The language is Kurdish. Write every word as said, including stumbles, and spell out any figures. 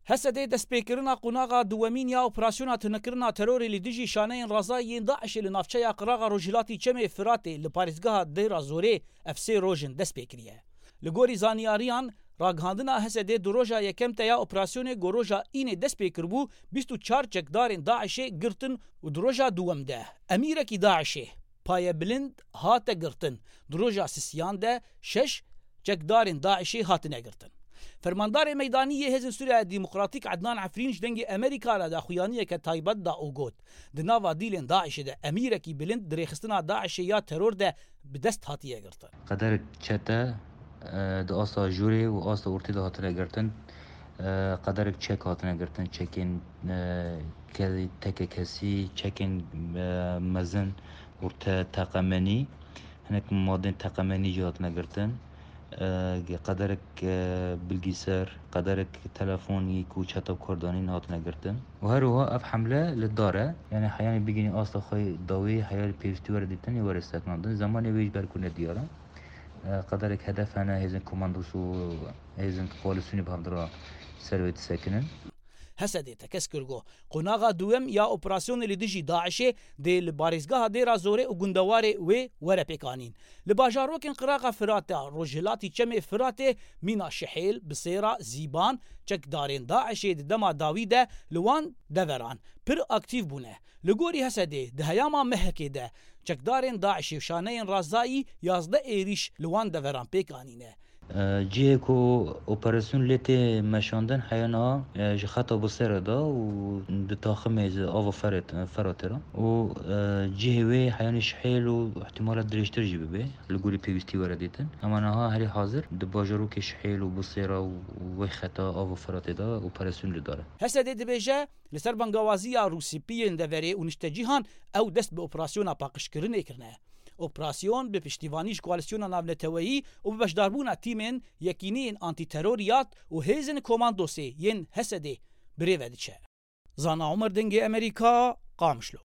H S D destpêkirina qonaxa duwemîn ya operasyona tunekirina terorê li dijî şaneyên razayî yên DAIŞê li navçeya qiraxa rojhilatî Çemê Firatê li parêzgeha Dêra Zorê ev sê roj in dest pê kiriye. Li gorî zanyariyan, ragihandina H S D di roja yekem de ya operasyonê ku roja Înê dest pê kiribû, bîst û çar çekdarên DAIŞê girtin û di roja duwem de emîrekî DAIŞê payebilind hate girtin. Di roja sisiyan de şeş çekdarên DAIŞê hatine girtin. Fermandarê meydanî yê Hêzên Sûriya Demokratîk Ednan Efrîn ji Dengê Amerîka re daxuyaniyeke taybet da û got, di nava dîlên DAIŞê de emîrekî bilind di rêxistina DAIŞê ya teror de bi dest hatiye girtin. Qederek çete, e, di asta jûrê û asta ortê de hatine girtin. E, qederek çek hatine girtin, çekên, e, ke-, teke kesî, çekên, e, mezin, orte teqemenî. Hinek madên teqemenî jî hatine girtin. E, qederek, e, bilgîser, qederek telefonî ku çeta bi kar danîn hatine girtin. Û her wiha ev hemle li dar e. Yani heyanî bigihînî asta xwe dawî, heyanî pêwîstî were dîtin, ê were sekinandin. Zemanê wê ji ber ku nediyar e. E, qederek hedef hene, hêzên komandos û hêzên koalîsyonê bi hev re ser wê disekinin. H S D tekez kir ku qonaxa duwem ya operasyonê li dijî DAIŞê dê li parêzgeha Dêra Zorê û gundewarê wê were pêkanîn. Li bajarokên qiraxa Firatê a rojhilatî Çemê Firatê mîna Şihêl, Bisêra, Zîban, çekdarên DAIŞê di dema dawî de li wan deveran pir aktîf bûne. Li gorî H S D di heyama mehekê de çekdarên DAIŞê û şaneyên razayî yazdeh êrîş li wan deveran pêk anîne. E, cihê ku operasyon lê tê meşandin heyana, e, ji xeta Busêre de û di taximê ji ava Feret-, Feratê re û, e, cihê wê heyanî Şihêl û ihtimala dirêjtir jî bibe, li gorî pêwîstî were dîtin. Ema niha herî hazir di bajarokê Şihêl û Busêra û wê xeta ava Feratê de operasyon li dar e. H S D dibêje, li ser bangawaziya rûspî yên deverê û niştecîhan ew dest bi operasyona paqijkirinê kirine. Operasyon bi piştîvanî ji koalîsyona navneteweyî û bi beşdarbûna tîmên Yekîneyên Antîteroriyat û hêzên komandosê yên H S D bi rê ve diçe. Zana Omer, Dengê Amerîka, Qamişlo.